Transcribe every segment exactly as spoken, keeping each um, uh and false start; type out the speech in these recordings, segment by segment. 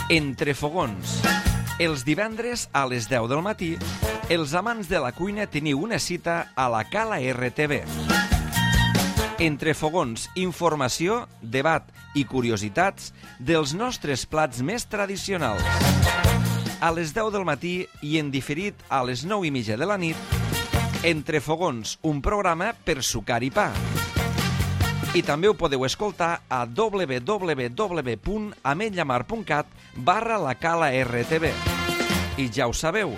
Entre fogons. Els divendres a les deu del matí, els amants de la cuina teniu una cita a la Cala R T V. Entre fogons, informació, debat i curiositats dels nostres plats més tradicionals. A les deu del matí i en diferit a les nou i mitja de la nit, Entre fogons, un programa per sucar i pa. I també ho podeu escoltar a w w w punt ametlllamar punt cat barra la Cala R T V. I ja ho sabeu,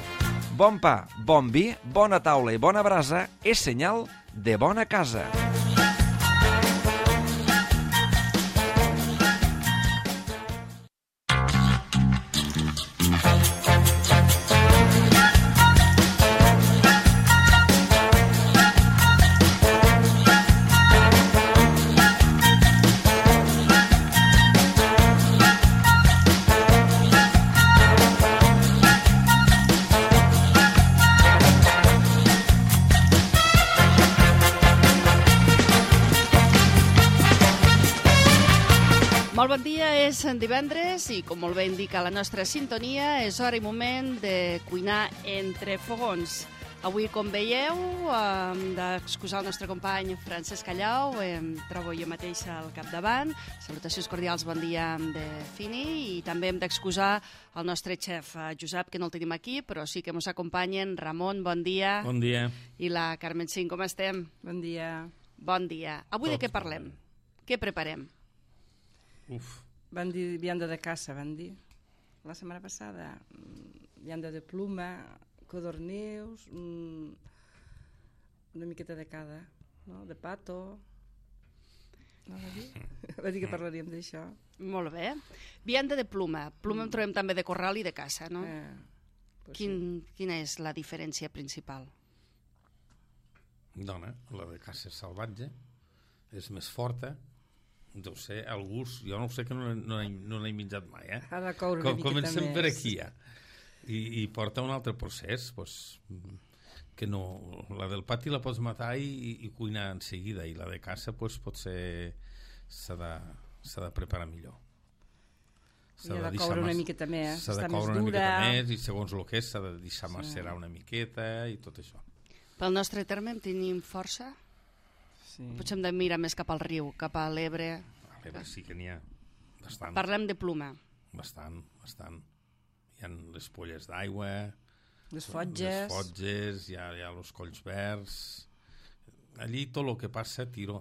bon pa, bon vi, bona taula i bona brasa és senyal de bona casa. Molt bon dia, és divendres i com molt bé indica la nostra sintonia és hora i moment de cuinar entre fogons. Avui, com veieu, hem d'excusar el nostre company Francesc Callau, em trobo jo mateixa al capdavant. Salutacions cordials, bon dia de Fini, i també hem d'excusar el nostre xef Josep, que no el tenim aquí, però sí que ens acompanyen. Ramon, bon dia. Bon dia. I la Carmen Cint, com estem? Bon dia. Bon dia. Avui de què parlem? Què preparem? Uf. Van dir vianda de caça, van dir. La setmana passada, vianda de pluma, codornius, una miqueta de cada, no? De pato. No va dir? Va dir que parlaríem d'això. Molt bé. Vianda de pluma. Pluma en trobem també de corral i de caça, no? Eh, pues Quin, sí. Quina és la diferència principal? Dona, la de caça és salvatge, és més forta, deu ser el gust, jo no ho sé, que no, no, no l'he menjat mai, eh? Ha de coure una Com, miqueta comencem més. per aquí, ja. I, I porta un altre procés, pues, que no... La del pati la pots matar i, i cuinar en seguida, i la de caça, pues, potser s'ha de, s'ha de preparar millor. I ha de coure una miqueta més, s'ha de està més coure una dura. miqueta més, i segons el que és, s'ha de deixar Sí. macerar una miqueta, i tot això. Pel nostre terme en tenim força? Sí. Potser hem de mirar més cap al riu, cap a l'Ebre. A l'Ebre sí que n'hi ha bastant. Parlem de pluma. Bastant, bastant. Hi ha les polles d'aigua, Les fotges. les fotges, hi ha, hi ha els colls verds. Allí tot el que passa, tiro.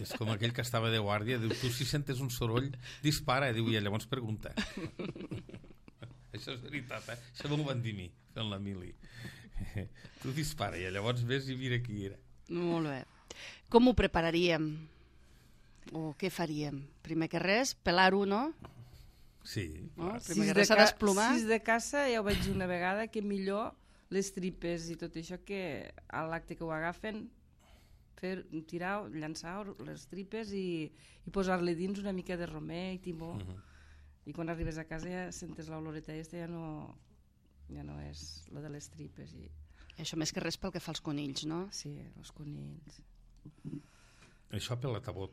És com aquell que estava de guàrdia, diu, tu si sentes un soroll, dispara, diu, i llavors pregunta. Això és veritat, eh? Això m'ho van dir a mi, fent la mili. Tu dispara, i llavors ves i mira qui era. Molt bé. Com ho prepararíem? O què faríem? Primer que res, pelar-ho, no? Sí, No? clar. Primer Si que és de res s'ha ca- d'esplomar. si és de caça, ja ho vaig dir una vegada, que millor les tripes i tot això que a l'acte que ho agafen, fer, tirar, llançar les tripes i, i posar-li dins una mica de romer i timó. Uh -huh. I quan arribes a casa ja sentes l'oloreta aquesta, ja no, ja no és la de les tripes. I... Això més que res pel que fa als conills, no? Sí, els conills. Això pel tabot.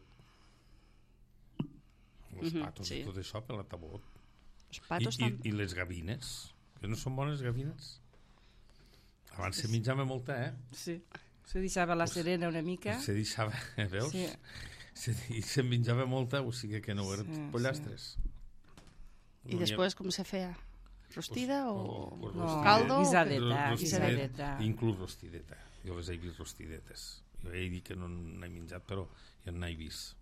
Els Mhm, patos sí. i tot això pel tabot. Els patos I, i, també. I les gavines, que no són bones gavines. Abans se menjava molta, eh? Sí. Se deixava la serena una mica. Se deixava, veus? Sí. Se, I se menjava molta, o sigui que no eren Sí, pollastres. I després com se feia? Rostida o, pues No, rostida- caldo? guisadeta, rostideta, guisadeta. inclús rostideta. Jo les he vist rostidetes. Jo he dit que no n'he menjat, però jo n'he vist.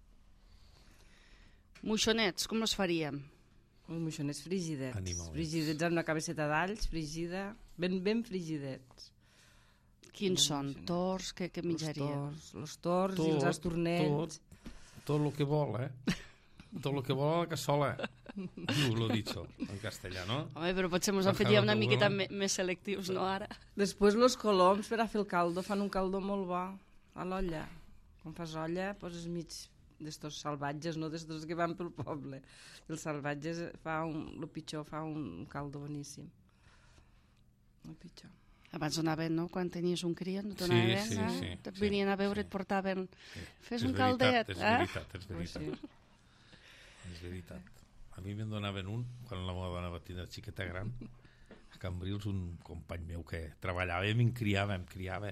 Moixonets, com els faríem? Uns moixonets frigidets. Animalets. Frigidets amb una cabeçeta d'alls, frigida, ben, ben frigidets. Quins Ben són? moixonets. Tors? Què, què Els menjaríem? tors, els tors i els astornets. Tot, tot el que vol, eh? Tot el que vol a la cassola. Diu, l'ho dicho, en castellà, no? Home, però potser ens Per en faríem una cada miqueta uno. me- més selectius, no, ara? Després els coloms per a fer el caldo, fan un caldo molt bo a l'olla. Quan fas olla poses mig d'estos salvatges, no d'estos que van pel poble. Els salvatges fa un, el pitjor fa un caldo boníssim. El pitjor. Abans donaven, no? Quan tenies un criat, no Sí, donaven, sí, eh? sí, Et sí, venien a veure, sí. et portaven... Sí. Fes És un veritat, caldet, és eh? veritat, és Pues veritat. sí. És veritat. A mi me'n donaven un, quan la meva dona va tenir xiqueta gran, a Cambrils, un company meu que treballava i em criava, em criava.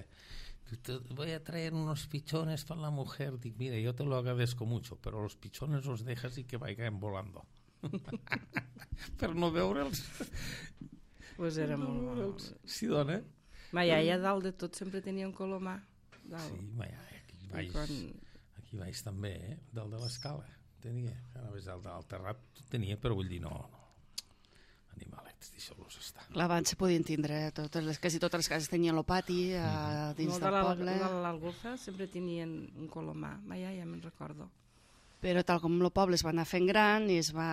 Te voy a traer unos pichones para la mujer. Dic, mira, yo te lo agradezco mucho, pero los pichones los dejas y que vayan volando. Per no veure'ls. Pues era molt bo. Sí, dona. Ma iaia, dalt de tot, sempre tenia un colomar. Dalt. Sí, ma iaia, aquí baix, quan... aquí baix també, eh? Dalt de l'escala. Tenia, anaves dalt del terrat, tenia, però vull dir, no, no. Animalets, deixeu-los estar. Clar, abans se podien tindre, totes les, quasi totes les cases tenien el pati a, dins no, del de poble. De l'Algolfa sempre tenien un colomar, ma iaia, me'n recordo. Però tal com el poble es va anar fent gran i es va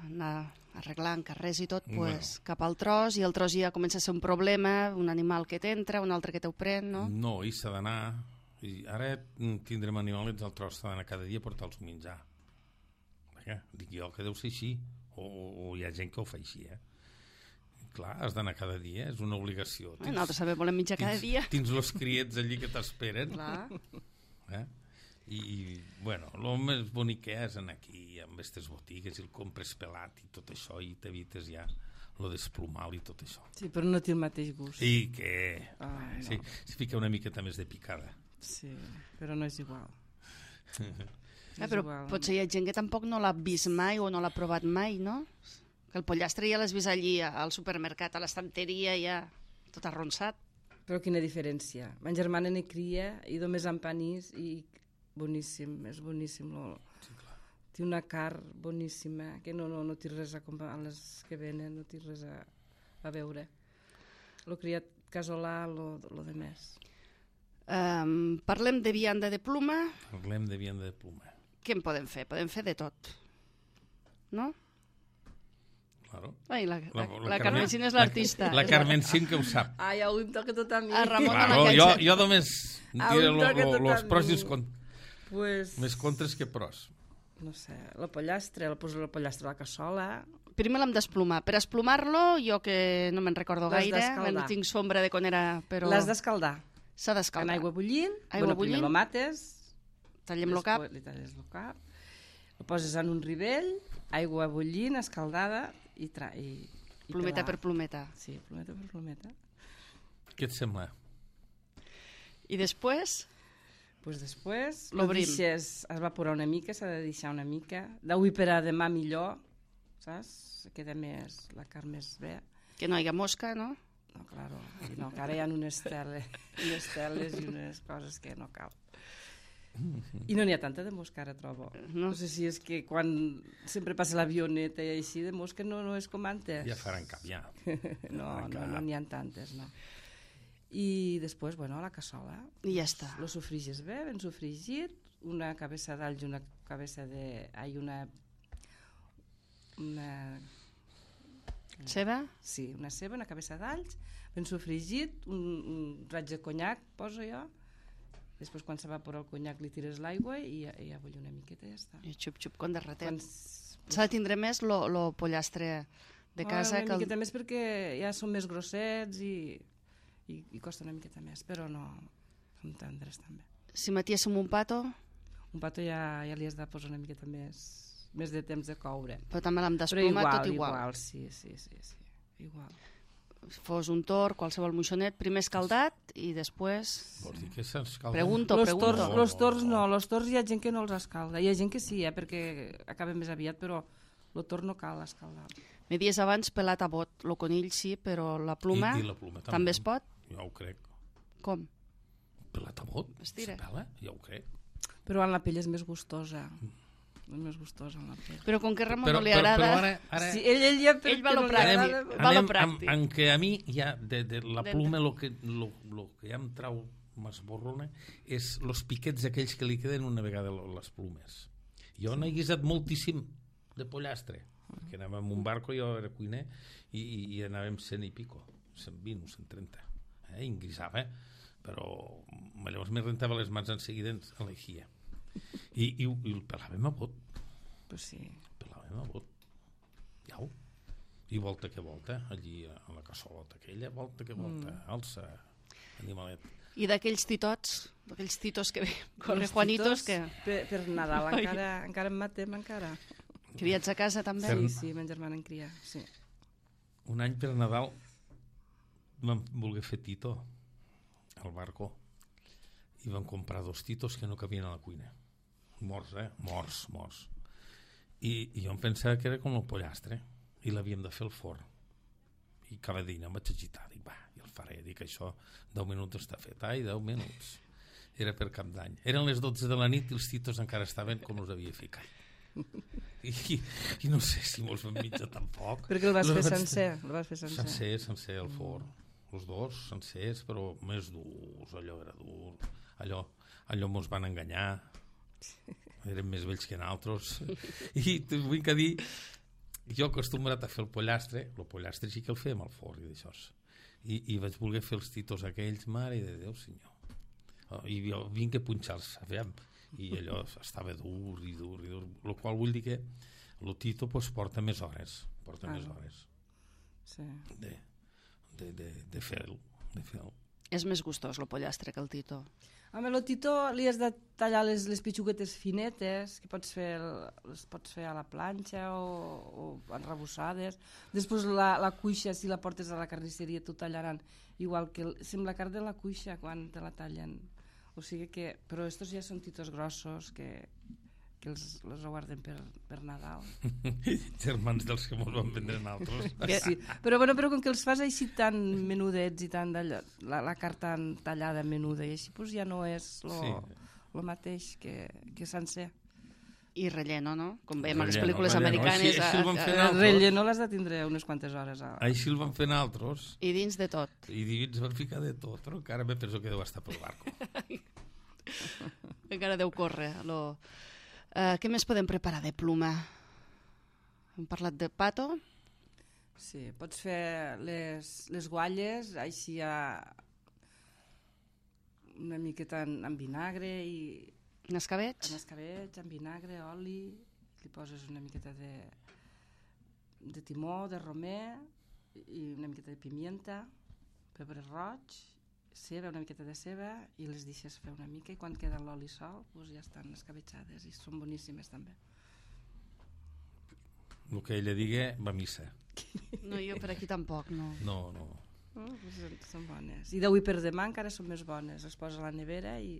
anar arreglant carrers i tot, Bueno. pues, cap al tros, i el tros ja comença a ser un problema, un animal que t'entra, un altre que t'ho pren, no? No, i s'ha d'anar... I ara tindrem animalets al tros, s'ha d'anar cada dia a portar-los a menjar. Vaja, dic jo que deu ser així, o, o, o hi ha gent que ho fa així, eh? Clar, has d'anar cada dia, és una obligació. Eh, nosaltres també volem menjar cada tins, dia. Tens els criets allí que t'esperen. Clar. Eh? I, i, bueno, el més bonic que és anar aquí amb aquestes botigues i el compres pelat i tot això i t'evites ja lo desplumal i tot això. Sí, però no té el mateix gust. Sí, que... Ah, no. Sí, s'hi fica una miqueta més de picada. Sí, però no és igual. Eh, però potser hi ha gent que tampoc no l'ha vist mai o no l'ha provat mai, no? Que el pollastre ja l'has vist allí al supermercat, a l'estanteria, ja tot arronsat. Però quina diferència. Ma germana ne cria i només amb panís i boníssim, és boníssim. Lo... Sí, clar. Té una carn boníssima, que no, no, no té res a comprar, a les que venen, no té res a, a veure. Lo criat casolà, lo, lo de més. Um, parlem de vianda de pluma. Parlem de vianda de pluma. Què en podem fer? Podem fer de tot. No? Claro. Ai, la, la, La, la, la Carmencín és l'artista. La, la Carmencín que ho sap. Ai, avui em toca tot a mi. A Ramon Claro, de la jo, Caixa. jo només diré lo, lo, los pros i els contres. Pues... Més contres que pros. No sé, la pollastre, el poso la pollastre a la cassola. Primer l'hem d'esplumar. Per esplumar-lo, jo que no me'n recordo L'has gaire, d'escaldar. no tinc sombra de quan era, però... L'has d'escaldar. S'ha En d'escaldar. aigua bullint, Aigua bueno, bullint. primer lo mates, Tallem-lo cap. després li talles el cap, lo poses en un rivell, aigua bullint, escaldada i... Tra i, i Plometa pelar. per plometa. Sí, plometa per plometa. Què et sembla? I després, Pues després lo L'obrim. deixes evaporar una mica, s'ha de deixar una mica. D'avui per a demà millor, saps? Queda més, la carn més bé. que no hi ha mosca, no? No, claro, i no, que ara hi ha unes teles, unes teles i unes coses que no cal. I no n'hi ha tanta de mosca ara, trobo. No. No sé si és que quan sempre passa l'avioneta i així, de mosca no, no és com antes. Ja faran cap, ja. No, no, no n'hi ha tantes, no. I després, bueno, a la cassola. I ja està. Lo sofrigis bé, ben sofregit, una cabeça d'alls i una cabeça de... Ai, una... Una... Ceba? Sí, una ceba, una cabeça d'alls, ben sofregit, un, un raig de conyac, poso jo. Després, quan s'evapora el conyac, li tires l'aigua i, i a bullir una miqueta i ja està. I xup-xup, com de ratet. Quan... S'ha de tindre més lo, lo pollastre de casa. Oh, una que el... miqueta més perquè ja són més grossets i, i, i costa una miqueta més, però no, són tendres també. Si matiéssim un pato, Un pato ja, ja li has de posar una miqueta més, més de temps de coure. però també l'hem Però d'esplumar igual, tot igual. igual, sí, sí, sí, sí, igual. Si fos un tor, qualsevol moixonet, primer escaldat i després... Vols dir que s'escalda? Pregunto, Los pregunto. tors, los tors no, los tors hi ha gent que no els escalda. Hi ha gent que sí, eh, perquè acaba més aviat, però el tor no cal escaldar. Me dies abans pelat a bot, el conill sí, però la pluma, I, i la pluma també. també es pot? Jo ho crec. Com? Pelat a bot? Estira. Se pela? Jo ho crec. Però en la pell és més gustosa. És més gustosa en la pell. Però com que a Ramon Però, no li però, agrada... però ara, ara Sí, ell, ell, ja, Ell va a lo no li pràctic. agrada, Va a lo anem pràctic. amb, en què a mi ja de, de la De- pluma lo que, lo, lo que ja em trau m'esborrona és los piquets aquells que li queden una vegada lo- les plumes. Jo n'he guisat moltíssim de pollastre, perquè anàvem amb un barco, jo era cuiner, i, i, i anàvem cent i pico, cent vint o cent trenta, eh? I en guisava, però llavors me rentava les mans en seguida en l'eixia. I, i, i el pelàvem a bot, Pues sí. pelàvem a bot. Iau. I volta que volta, allí a la cassolota aquella, volta que volta, mm. alça, animalet. I d'aquells titots, d'aquells titos que ve, con Els Juanitos, titos, que... Per, per Nadal encara, encara en matem, encara. Criats a casa, també? Sí, sí, ma germana en cria, sí. Un any per Nadal vam voler fer Tito al barco i vam comprar dos titos que no cabien a la cuina. Morts, eh? Morts, morts. I, i jo em pensava que era com el pollastre i l'havíem de fer al forn. I cada dia em vaig agitar, dic, va, i el faré, dic, això deu minuts està fet. Ai, deu minuts. Era per Cap d'Any. Eren les dotze de la nit i els titos encara estaven com els havia ficat. I, i no sé si me'ls vam mitjar tampoc. Perquè el vas Els fer vaig- sencer, el vas fer sencer. Sencer, sencer al forn. Els dos sencers, però més durs, allò era dur. Allò, allò mos van enganyar. Eren més vells que nosaltres. I t'ho vull que dir, jo acostumbrat a fer el pollastre, el pollastre sí que el fèiem al forn i d'això. I, I vaig voler fer els titos aquells, mare de Déu, senyor. Oh, I jo vinc a punxar-los, aviam. I allò estava dur i dur i dur. El qual vull dir que el tito pues, porta més hores. Porta Ah. més hores Sí. de, de, de, de fer-lo. De fer-lo. És més gustós el pollastre que el tito. Home, el tito li has de tallar les, les pitxuguetes finetes, que pots fer, el- les pots fer a la planxa o, o enrebossades. Després la, la cuixa, si la portes a la carnisseria, t'ho tallaran igual que... El, sembla carn de la cuixa quan te la tallen. O sigui que... Però estos ja són titos grossos que, que els, els guarden per, per Nadal. Germans dels que mos van vendre nosaltres. Sí. Però, bueno, però com que els fas així tan menudets i tan d'allò, la, la carn tan tallada menuda i així, doncs ja no és lo, Sí. lo mateix que, que sencer. I relleno, no? Com veiem a les Relleno, pel·lícules relleno. americanes. Així- així ho vam a- fer a- nosaltres. El relleno l'has de tindre unes quantes hores. A... Així el van fer nosaltres I dins de tot. i dins van ficar de tot, però encara me penso que deu estar pel barco. Encara deu córrer. Lo... Uh, què més podem preparar de pluma? Hem parlat de pato. Sí, pots fer les, les gualles així a una miqueta en, en vinagre i En escabets? en escabetx, en vinagre, oli, li poses una miqueta de, de timó, de romer i una miqueta de pimienta, pebre roig, ceba, una miqueta de ceba i les deixes fer una mica i quan queda l'oli sol doncs ja estan escabetxades i són boníssimes també. El que ella digui va a missa. No, jo per aquí tampoc, no. No, no. Oh, doncs són, són bones. I d'avui per demà encara són més bones. Les poses a la nevera i,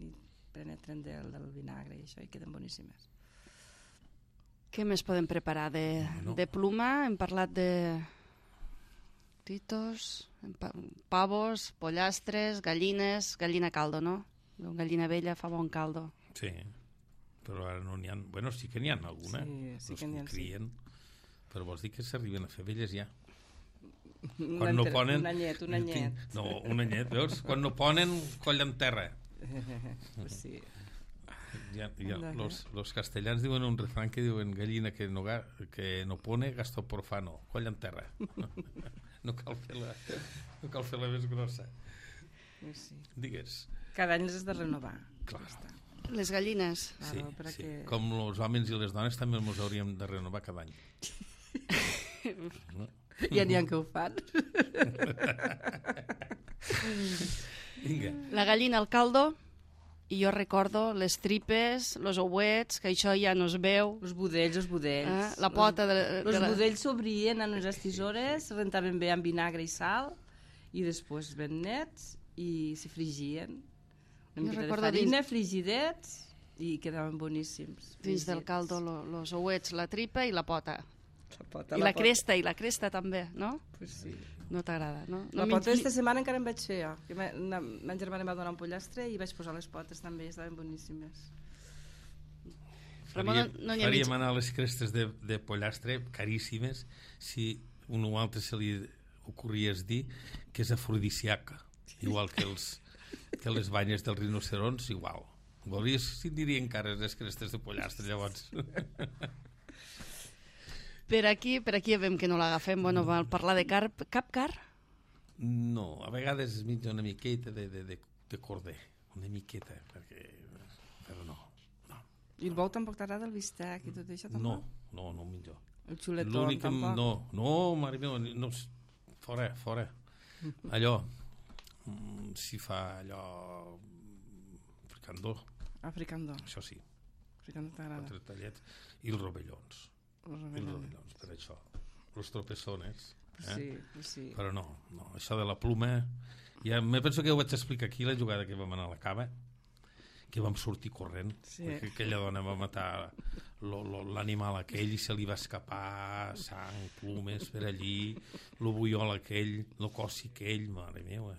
i penetren del, del vinagre i això i queden boníssimes. Què més podem preparar de, No. de pluma? Hem parlat de titos, hem pa- pavos, pollastres, gallines, gallina caldo, no? Gallina vella fa bon caldo. Sí, però ara no n'hi ha... Bueno, sí que n'hi ha alguna. Sí, sí Els que n'hi ha, sí. crien, però vols dir que s'arriben a fer velles ja. Un Quan no enter- ponen... Un anyet, un anyet. No, un anyet, veus? Quan no ponen, coll en terra. Pues sí. Ja, ja, Anda, los, los castellans diuen un refrán que diuen gallina que no, ga- que no pone, gasto profano, coll en terra. No cal fer la, no cal fer la més grossa. Pues sí. Digues. Cada any les has de renovar. Clar. Ja està. Les gallines. Sí, Claro, sí. perquè... Com els homes i les dones també ens hauríem de renovar cada any. No? Ja n'hi ha que ho fan. Vinga. La gallina al caldo, i jo recordo les tripes, els ouets, que això ja no es veu. Els budells, els budells. Eh? La pota de, Els de la... budells s'obrien en unes tisores, se rentaven bé amb vinagre i sal, i després ben nets, i se frigien. Jo Una miqueta de recordo farina, frigidets, i quedaven boníssims. Dins del fregits. caldo, lo, los ouets, la tripa i la pota. La pota, I la pota. cresta, i la cresta també, no? Pues sí. No t'agrada, no? La no pota mengi- aquesta setmana encara em vaig fer jo. Que ma, una, ma germana em va donar un pollastre i vaig posar les potes també, estaven boníssimes. Ramon, Faríem, no n'hi ha faríem mig... anar a les crestes de, de pollastre caríssimes si un o altre se li ocorries dir que és afrodisíaca, igual que, els, que les banyes dels rinocerons, igual. Volies si dirien cares les crestes de pollastre, llavors. Per aquí, per aquí ja veiem que no l'agafem. Bueno, val parlar de car... Cap car? No, a vegades es menja una miqueta de, de, de, de corder, una miqueta, perquè... però no, no. I el bou tampoc t'agrada, el bistec i tot això? No, Tampoc? no, no menjo. El xuletón L'únic que... tampoc? No, no, mare meva, no, fora, fora. Allò, mm, si fa allò... fricandó, Africandó. això sí. que no t'agrada. Quatre tallets. I els rovellons. Els I els rovellons. rovellons, per això. Els tropeçones. Eh? Sí, sí. Però no, no, això de la pluma... Ja, me penso que ho vaig explicar aquí, la jugada que vam anar a la cava, que vam sortir corrent, Sí. perquè aquella dona va matar lo- lo- l'animal aquell i se li va escapar sang, plumes per allí, lo buiol aquell, lo cossi aquell, mare meva.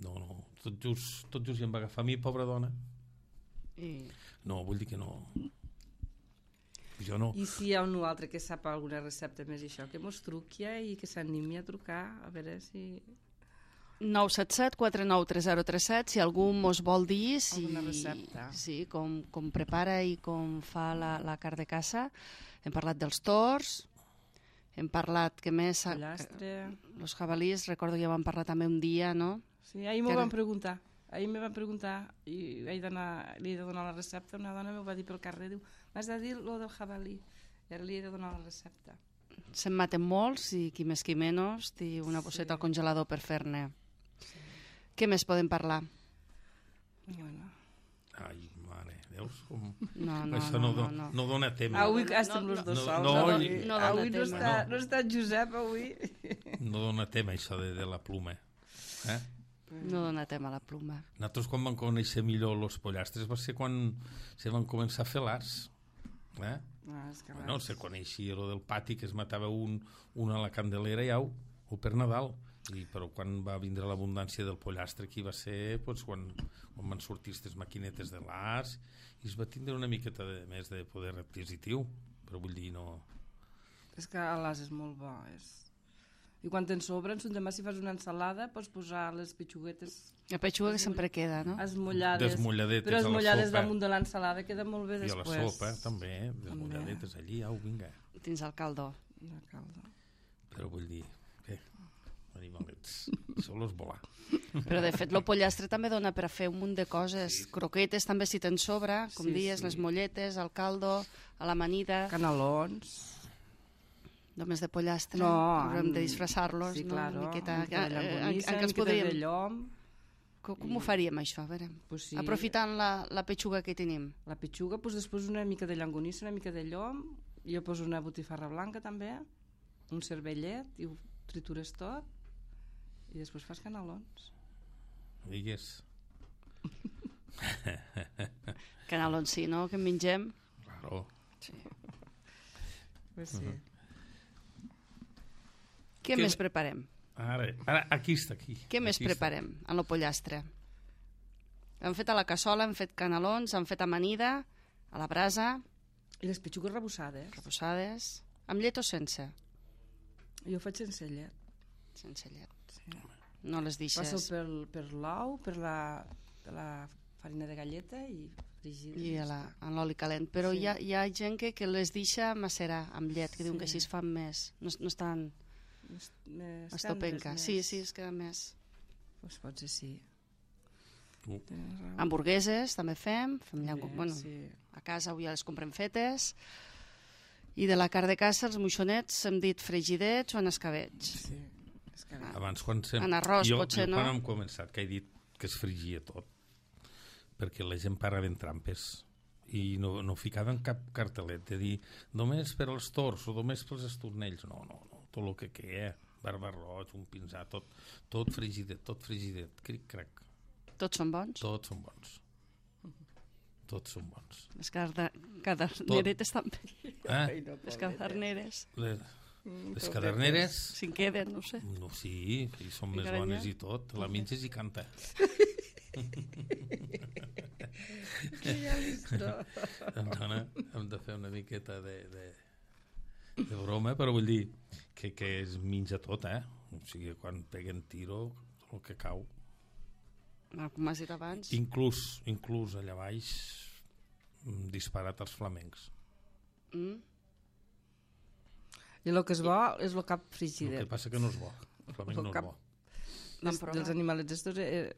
No, no, tot just, tot just i em va agafar a mi, pobra dona. I... No, vull dir que no. Jo no. I si hi ha un altre que sap alguna recepta més i això, que mos truqui i que s'animi a trucar, a veure si... nou set set quatre nou tres zero tres set, si algú mos vol dir si, Alguna recepta. sí, com, com prepara i com fa la, la carn de caça. Hem parlat dels tors, hem parlat que més... Pollastre... Els jabalís, recordo que ja vam parlar també un dia, no? Sí, ahir m'ho Que ara- van preguntar. Ahir me van preguntar i he d'anar- li he de donar la recepta. Una dona m'ho va dir pel carrer, diu, m'has de dir lo del jabalí. I ara li he de donar la recepta. Se'n maten molts i qui més qui menys té una bosseta Sí. al congelador per fer-ne. Què més podem parlar? Bueno. Ai, mare, veus com... No, no, Això no, no, no, no, no. no dona tema. Avui no, estem no, els dos no, sols. no, avui i- no dona avui no, tema. està, No. no està Josep avui. No dona tema això de, de la pluma. Eh? No dona tema a la pluma. Nosaltres quan vam conèixer millor els pollastres va ser quan se van començar a fer l'arts. Eh? Ah, és que Bueno, se coneixia lo del pati que es matava un, un a la candelera i au, o per Nadal. I, però quan va vindre l'abundància del pollastre aquí va ser pues, quan, quan van sortir aquestes maquinetes de l'arts i es va tindre una miqueta de, més de poder adquisitiu, però vull dir no... És que l'as és molt bo. És... I quan te'n sobren, demà si fas una ensalada pots posar les pitxuguetes La petxuga que sempre queda, no? esmullades. Desmulladetes però a la esmullades sopa. damunt de l'ensalada queda molt bé I a després. la sopa també, desmulladetes allí, au, vinga. Dins el caldo. La calda. Però vull dir, què? Animalets, sols volar. Però de fet, el pollastre també dona per a fer un munt de coses. Croquetes també si te'n sobra, com Sí, dies, sí. les molletes, el caldo, a l'amanida. Canelons. Només de pollastre. No, Haurem de amb- disfressar-los, sí, no? claro, Una miqueta. una miqueta de Eh, eh, llonganissa, en- en què una ens miqueta podríem... de llom. Com, com ho faríem, això? A veure. Pues sí. Aprofitant la, la petxuga que tenim. La petxuga, pues després una mica de llonganissa, una mica de llom, jo poso una botifarra blanca també, un cervellet, i ho tritures tot, i després fas canelons. Digues. Canelons, sí, no? Que en mengem. Claro. Pues sí. Mhm. Què Que- més preparem? Ara, ara, aquí està, aquí. Què més Aquí està. preparem en el pollastre? Hem fet a la cassola, hem fet canelons, hem fet amanida, a la brasa, I les petxugues rebussades, reposades, amb llet o sense? jo ho faig sense llet. Sense llet. Sí. No les Passo deixes. per, per l'ou, per la, per la farina de galleta i fregida. I a la, en l'oli calent. Però Sí. hi, ha, hi ha gent que, que les deixa macerar amb llet, que diuen que Sí. així es fan més. No, no estan Més, més estopenca. tendres, Sí, més. sí, es queda més. Pues potser sí. Uh. Tens raó. Hamburgueses també fem. fem llango, Bé, bueno, sí. a casa avui ja les comprem fetes. I de la carn de caça, els moixonets, hem dit fregidets o en escabetx. Sí. És que Ah. Abans, quan sem... En arròs, jo, potser, jo, no? quan hem començat, que he dit que es frigia tot, perquè la gent parava en trampes i no, no ficaven cap cartelet de dir només per als tors o només pels estornells. No, no, no, tot el que queda, barbarroig, un pinzà, tot, tot frigidet, tot frigidet, cric-crac, Tots són bons? tots són bons. Tots són bons. Les carda- caderneretes també. Eh? Les caderneres. Les, les caderneres, Si en queden, no sé. no, sí, i són més Ficarem bones ja? i tot. La menges i canta. Dona, hem de fer una miqueta de, de, de broma, però vull dir que, que es menja tot, eh? O sigui, quan peguen tiro, tot el que cau. Ah, com has dit abans. Inclús, inclús allà baix, mm, disparat als flamencs. Mm? I el que és bo és el cap El frigidet. que passa que no és bo. El flamenc El no és cap- bo. Vam Dels, provar. dels animalets estos, eh,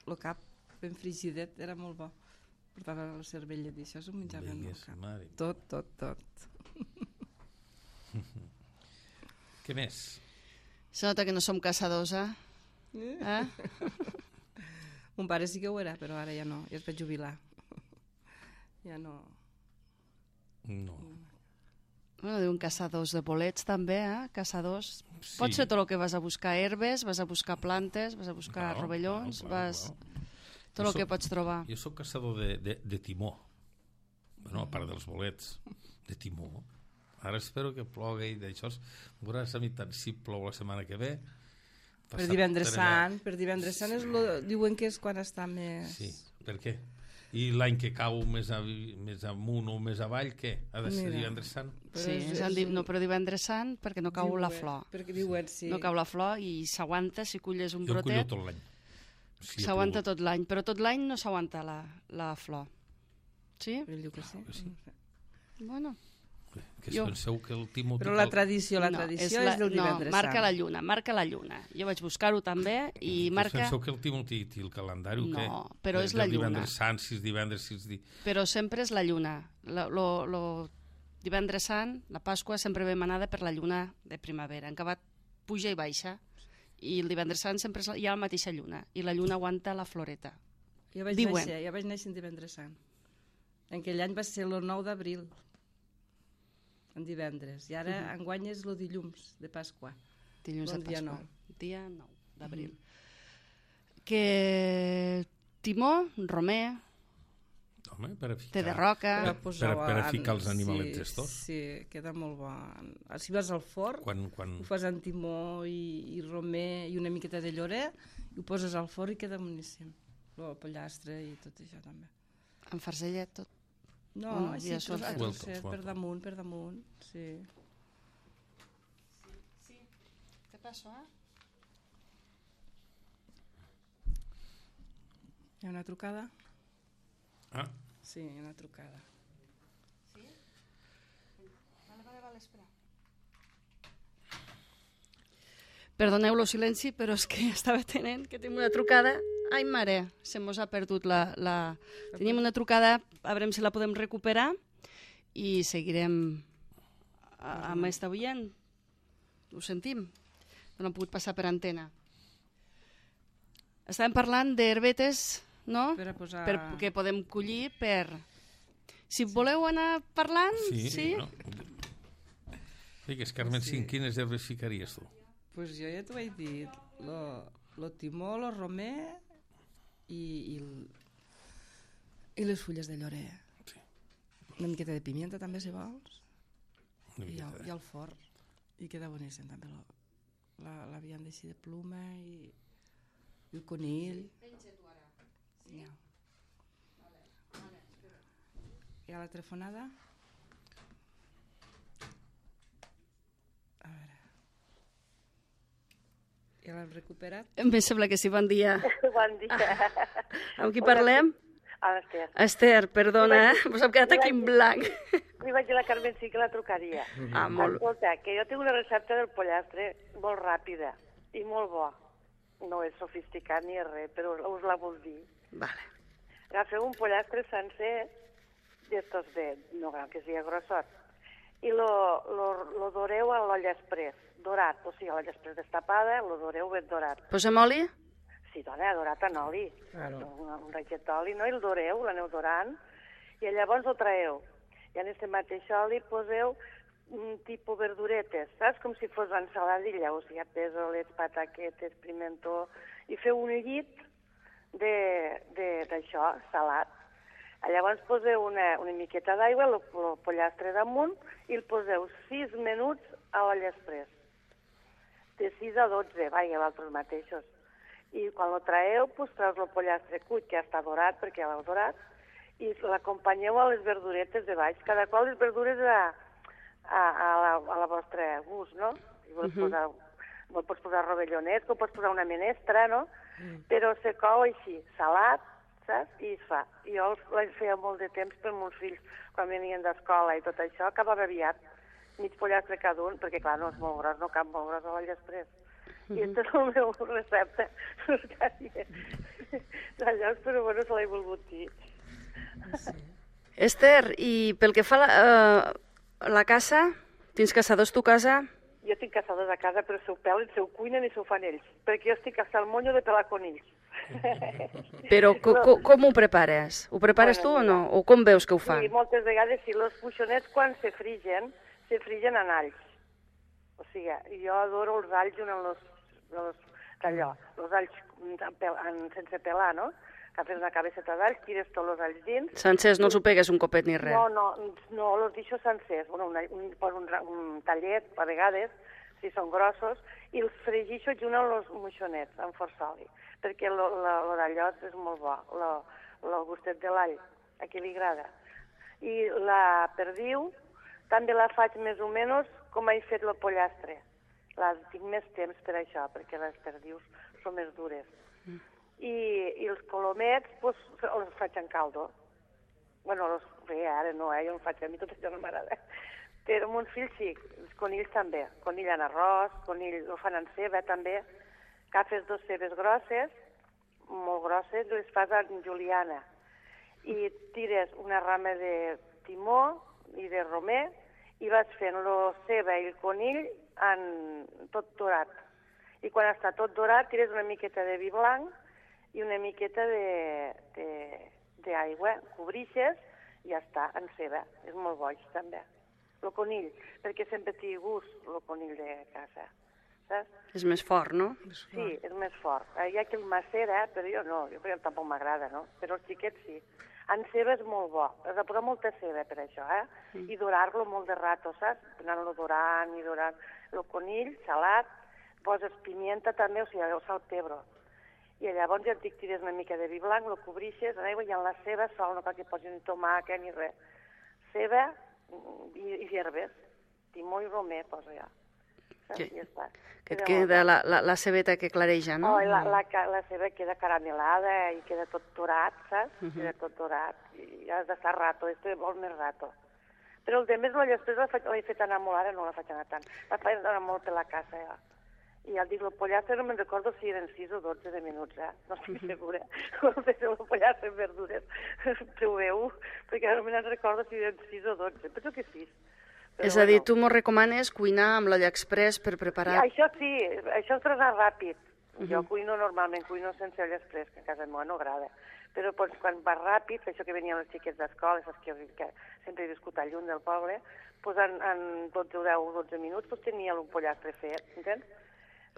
el cap ben frigidet era molt bo. Portava la cervella i això s'ho menjaven el Digues, cap. mare. Tot, tot, tot. Què més? Se nota que no som caçadors, eh? eh? Mon pare sí que ho era, però ara ja no, ja es va jubilar. Ja no, No. Bueno, diuen caçadors de bolets també, eh? Caçadors. Sí. Pot ser tot el que vas a buscar herbes, vas a buscar plantes, vas a buscar Claro, rovellons, claro, claro, vas... claro. Tot Jo el que soc- pots trobar. Jo sóc caçador de, de, de timó. Bueno, a part dels bolets, de timó. Ara espero que plogui i d'això. Veuràs a mi tant si plou la setmana que ve. Per passat divendres per allà. sant, per divendres sant és lo, diuen que és quan està més... Sí, per què? I l'any que cau més, a, més amunt o més avall, què? Ha de ser Mira. divendres sant? Però Sí, és- és el és di... un- no, però divendres sant perquè no cau la diuen- flor. Perquè diuen, sí. No cau la flor i s'aguanta, si culles un Jo el cullo brotet, tot l'any. Sí, s'aguanta tot l'any, però tot l'any no s'aguanta la, la flor. Sí? Ell diu que sí. que sí. Bueno. Que Jo- jo... penseu que el Timó... Però la tradició, la no, tradició és, del divendres no, marca sant. la lluna, marca la lluna. Jo vaig buscar-ho també i marca... Penseu que el Timó té, té el calendari o No, què? però és la Del lluna. divendres sant, sis divendres, sis di... Però sempre és la lluna. Lo, lo, lo divendres sant, la Pasqua, sempre ve manada per la lluna de primavera. En acabat puja i baixa. I el divendres sant sempre és la, hi ha la mateixa lluna. I la lluna aguanta la floreta. Jo vaig diuen. néixer, jo vaig néixer en divendres sant. En aquell any va ser el nou d'abril, en divendres. I ara Mhm. enguany és el dilluns de Pasqua. Dilluns Bon de dia Pasqua. nou. Dia nou d'abril. Que Timó, romer, Home, per a ficar... té de roca... Per a, per- posar per a ficar els animalets sí, estos. Sí, queda molt bo. Si vas al forn, Quan, quan... ho fas amb timó i, i romer i una miqueta de llorer, i ho poses al forn i queda boníssim. El pollastre i tot això també. Amb farcellet, tot. No, Bueno, així ja ja són a welcome, trosset, per welcome. damunt, per damunt, sí. Què passa, eh? Hi ha una trucada? Ah, Sí, hi ha una trucada. Vale, vale, vale, espera. Perdoneu el silenci, però és que estava tenint que tenim una trucada. Ai, mare, se mos ha perdut la... la... Teníem una trucada, a veure si la podem recuperar i seguirem a- amb esta oient. Ho sentim. No han pogut passar per antena. Estàvem parlant d'herbetes, no? Per a posar... Per, que podem collir per... Si voleu anar parlant, sí. sí? No? Digues, Carmen, Sí. sí. Quines herbes ficaries tu? Pues jo ja t'ho vaig dir, lo, lo timó, lo romer i, i, el, i les fulles de llorer. Sí. Una miqueta de pimienta també, si vols. Una I, miqueta el, de- i el forn. I queda boníssim també lo, la, la vianda així de pluma i, i el conill. Ja. Hi ha la telefonada? A veure. Ja l'hem recuperat? Em sembla que sí, bon dia. Bon dia. Amb qui parlem? Ah, Esther. Esther, perdona, eh? Vos hem quedat aquí en blanc. Li vaig dir a la Carmen sí que la trucaria. Ah, molt. Escolta, que jo tinc una recepta del pollastre molt ràpida i molt bo. No és sofisticat ni res, però us la vull dir. Vale. Agafeu un pollastre sencer, d'estos de, no cal que sigui grossot, i lo, lo, lo doreu a l'olla express, dorat, o sigui, a l'olla express destapada, lo doreu ben dorat. Posem oli? Sí, dona, dorat en oli. Claro. Un, un raget d'oli, no? I el doreu, l'aneu dorant, i llavors el traeu. I en aquest mateix oli poseu un tipus verduretes, saps? Com si fos ensaladilla, o sigui, pèsoles, pataquetes, pimentó, i feu un llit d'això, salat. Llavors poseu una, una miqueta d'aigua, el, el pollastre damunt, i el poseu sis minuts a l'olla express. De sis a dotze, vaja, els mateixos. I quan lo traeu, pues, treus el pollastre cuit, que ja està dorat, perquè ja l'heu dorat, i l'acompanyeu a les verduretes de baix, cada qual les verdures a, a, a, la, a la vostra gust, no? Si vols Mhm. posar, no pots posar rovellonets, o pots posar una menestra, no? Però se cou així, salat, saps? I es fa. I jo el feia molt de temps per meus fills, quan venien d'escola i tot això, acabava aviat, mig pollastre cada un, perquè clar, no és molt gros, no cap molt gros a l'olla express. I aquesta és la meva recepta. Llavors, però bueno, se l'he volgut dir. Esther, i pel que fa a la, uh, la casa, tens caçadors tu casa? Jo tinc caçadors a casa, però se ho pelen, se ho cuinen i se ho fan ells, perquè jo estic hasta el monyo de pelar conills. Però co co com ho prepares? Ho prepares tu o no? O com veus que ho fan? Sí, moltes vegades sí. Els puixonets, quan se frigen, se frigen en alls. O sigui, jo adoro els alls en els, los, allò, els alls en, sense pelar, no? Que fes una cabeceta d'alls, tires tots els alls dins. Sencers, no els ho pegues un copet ni res? No, no, no, els deixo sencers. Bueno, un, un, poso un, un tallet, a vegades, si són grossos, i els fregixo junt amb els moixonets, amb força oli, perquè l'allot és molt bo, el gustet de l'all, a qui li agrada. I la perdiu també la faig més o menys com he fet el pollastre. La tinc més temps per això, perquè les perdius són més dures. Mm. I, i els colomets, pues, els faig en caldo. Bueno, els, bé, ara no, eh? Jo no faig, a mi tot això no m'agrada. Però amb un fill sí, els conills també. Conill en arròs, conill ho fan en ceba també. Agafes dos cebes grosses, molt grosses, les fas en juliana. I tires una rama de timó i de romer i vas fent la ceba i el conill en tot dorat. I quan està tot dorat, tires una miqueta de vi blanc i una miqueta d'aigua, cobrixes i ja està, en ceba. És molt boig, també. El conill, perquè sempre té gust, el conill de casa. Saps? És més fort, no? Sí, és més fort. Hi ha qui el macera, però jo no, jo perquè tampoc m'agrada, no? Però els xiquets sí. En ceba és molt bo, has de posar molta ceba per això, eh? Mm. I dorar-lo molt de rato, saps? Anar-lo dorant i dorant. El conill, salat, poses pimienta també, o sigui, el sal pebre. I llavors ja et dic, tires una mica de vi blanc, lo cobrixes en aigua i en la ceba sol, no cal que posis ni tomàquet ni res. Ceba i, i herbes, timó i romer poso ja. Que, ja està. que et queda la, la, la cebeta que clareja, no? Oh, la, la, la ceba queda caramelada i queda tot dorat, saps? Uh -huh. Queda tot dorat i has d'estar rato, esto vol més rato. Però el de més, després l'he fet anar molt, ara no la faig anar tant. La faig anar molt per la casa, ja. I ja et dic, el pollastre no me'n recordo si eren sis o dotze de minuts, eh? No estic uh -huh. segura. Quan fes el pollastre amb verdures, proveu, perquè no me'n recordo si eren sis o dotze. Penso que sis. Però és a dir, bueno, tu m'ho recomanes cuinar amb l'olla express per preparar... Sí, això sí, això és anar ràpid. Uh -huh. Jo cuino normalment, cuino sense olla express, que a casa meva no agrada. Però doncs, quan va ràpid, això que venien els xiquets d'escola, saps que, que sempre he viscut al lluny del poble, doncs en, en dotze o deu o dotze minuts doncs tenia un pollastre fet, entens?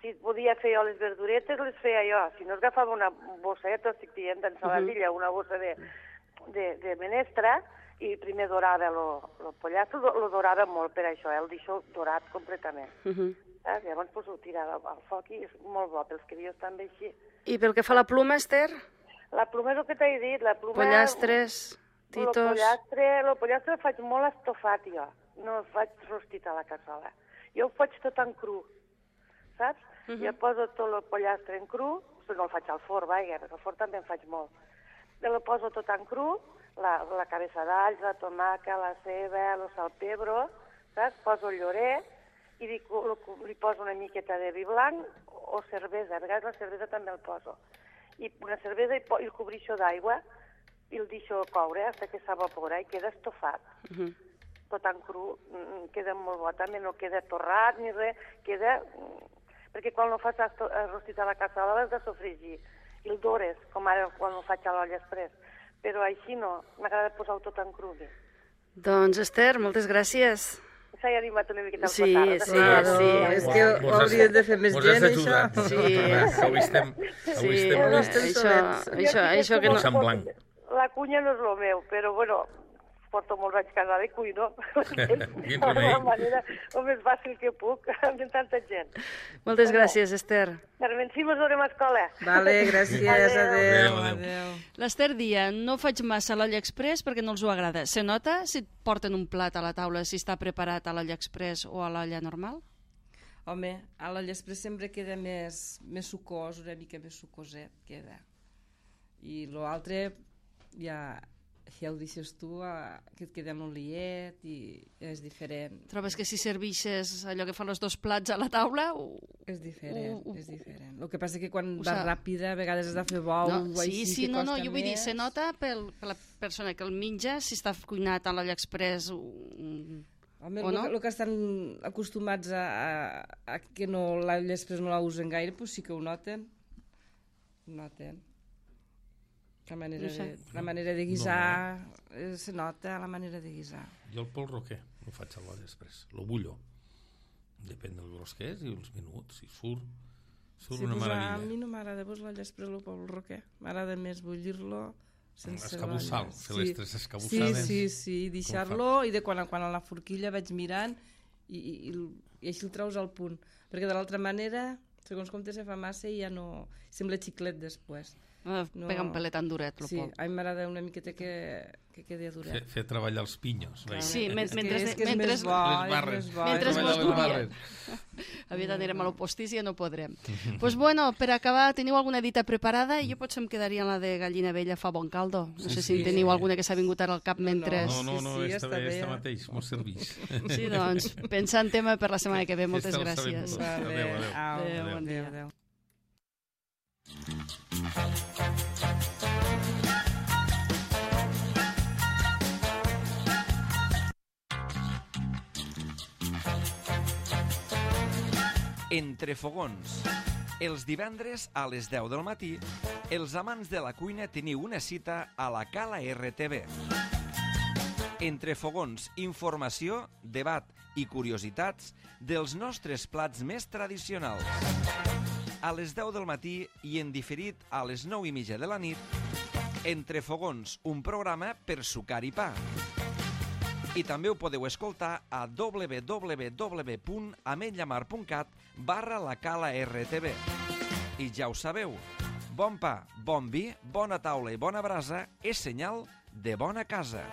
Si podia fer jo les verduretes, les feia jo. Si no, agafava una bosseta, estic dient, d'ensaladilla, uh -huh. una bossa de, de, de menestra, i primer dorava el pollastre, lo dorava molt per això, eh? El deixo dorat completament. Uh -huh. eh? Llavors pues, ho tirava al foc i és molt bo, pels crios també així. I pel que fa a la pluma, Esther? La pluma és el que t'he dit, la pluma... Pollastres, titos... El pollastre, el pollastre el faig molt estofat jo, no el faig rostit a la cassola. Jo ho faig tot en cru, saps? Uh -huh. Jo poso tot el pollastre en cru, no el faig al forn, vaja, perquè al forn també en faig molt. El poso tot en cru, la, la cabeça d'alls, la tomaca, la ceba, el salpebro, saps? Poso el llorer i li, li poso una miqueta de vi blanc o cervesa, a vegades la cervesa també el poso. I una cervesa i, i el cobrixo d'aigua i el deixo coure fins que s'evapora i queda estofat. Uh -huh. Tot en cru, queda molt bo, també no queda torrat ni res, queda... Perquè quan ho fas rostit a la cassola l'has de sofregir i el dores, com ara quan ho faig a l'olla express. Però així no, m'agrada posar-ho tot en cru. Doncs, Esther, moltes gràcies. S'ha animat una miqueta al sí, potar. Sí, sí, sí. És que ho hauríem de fer més gent, això. Sí, avui estem... Avui estem... Això, això que no... La cunya no és el meu, però, bueno, porto molts anys casada i cuino. De la manera o més fàcil que puc, amb tanta gent. Moltes gràcies, Esther. Carmen, si mos veurem a escola. Vale, gràcies, adéu. adéu. L'Esther dia, no faig massa a l'olla express perquè no els ho agrada. Se nota si et porten un plat a la taula, si està preparat a l'olla express o a l'olla normal? Home, a l'olla express sempre queda més, més sucós, una mica més sucoset queda. I l'altre ja... ja ho deixes tu, que et queda amb l'oliet i és diferent. Trobes que si servixes allò que fan els dos plats a la taula... O... És diferent, o, o... és diferent. El que passa és que quan o va ràpida, a vegades has de fer bou no, o així, sí, sí, que no, costa no, jo vull més. dir, se nota pel, per la persona que el menja, si està cuinat a l'olla express o, Home, o no. El que estan acostumats a, a, a que no, l'olla express no la usen gaire, doncs sí que ho noten. Ho noten. La manera, No sé. de, la manera de guisar, eh, se nota la manera de guisar. Jo el pol roquer el faig a l'olla express. Lo bullo. Depèn del gros que és i els minuts. I surt, surt Sí, una pues a meravella. mi no m'agrada pues, l'olla express el pol roquer. M'agrada més bullir-lo sense Escabussar, l'olla. fer les tres Sí, escabussades. sí, sí, deixar-lo i de quan a quan a la forquilla vaig mirant i, i, i, i així el treus al punt. Perquè de l'altra manera, segons com te se fa massa i ja no... Sembla xiclet després. Eh, No. Pega un pelet tan duret, el Sí, pol. a mi m'agrada una miqueta que, que quedi Fer, duret. fer treballar els pinyos. Clar. Sí, veia. men- És mentre- que, és, que és mentre- més bo, Les és barres. més bo. Mentre és es Treballar més mos les duria. barres. Aviat anirem a l'opostis i ja no podrem. Doncs pues bueno, per acabar, teniu alguna dita preparada? I jo potser em quedaria en la de gallina vella fa bon caldo. No Sí, sé sí, si en teniu sí. alguna que s'ha vingut ara al cap No, mentre... No, no, no, Sí, sí, està està bé, bé, està eh? mateix, mos serveix. Sí, doncs, pensar en tema per la setmana que ve. Moltes Esteu sabent gràcies. tot. Vale. Adéu, adéu. Au, Adéu, bon dia. adéu. Entre fogons. Els divendres a les deu del matí, els amants de la cuina teniu una cita a la Cala R T V. Entre fogons, informació, debat i curiositats dels nostres plats més tradicionals. A les deu del matí i en diferit a les nou i mitja de la nit, Entre fogons, un programa per sucar i pa. I també ho podeu escoltar a w w w punt ametllamar punt cat barra la Cala R T V. I ja ho sabeu, bon pa, bon vi, bona taula i bona brasa és senyal de bona casa.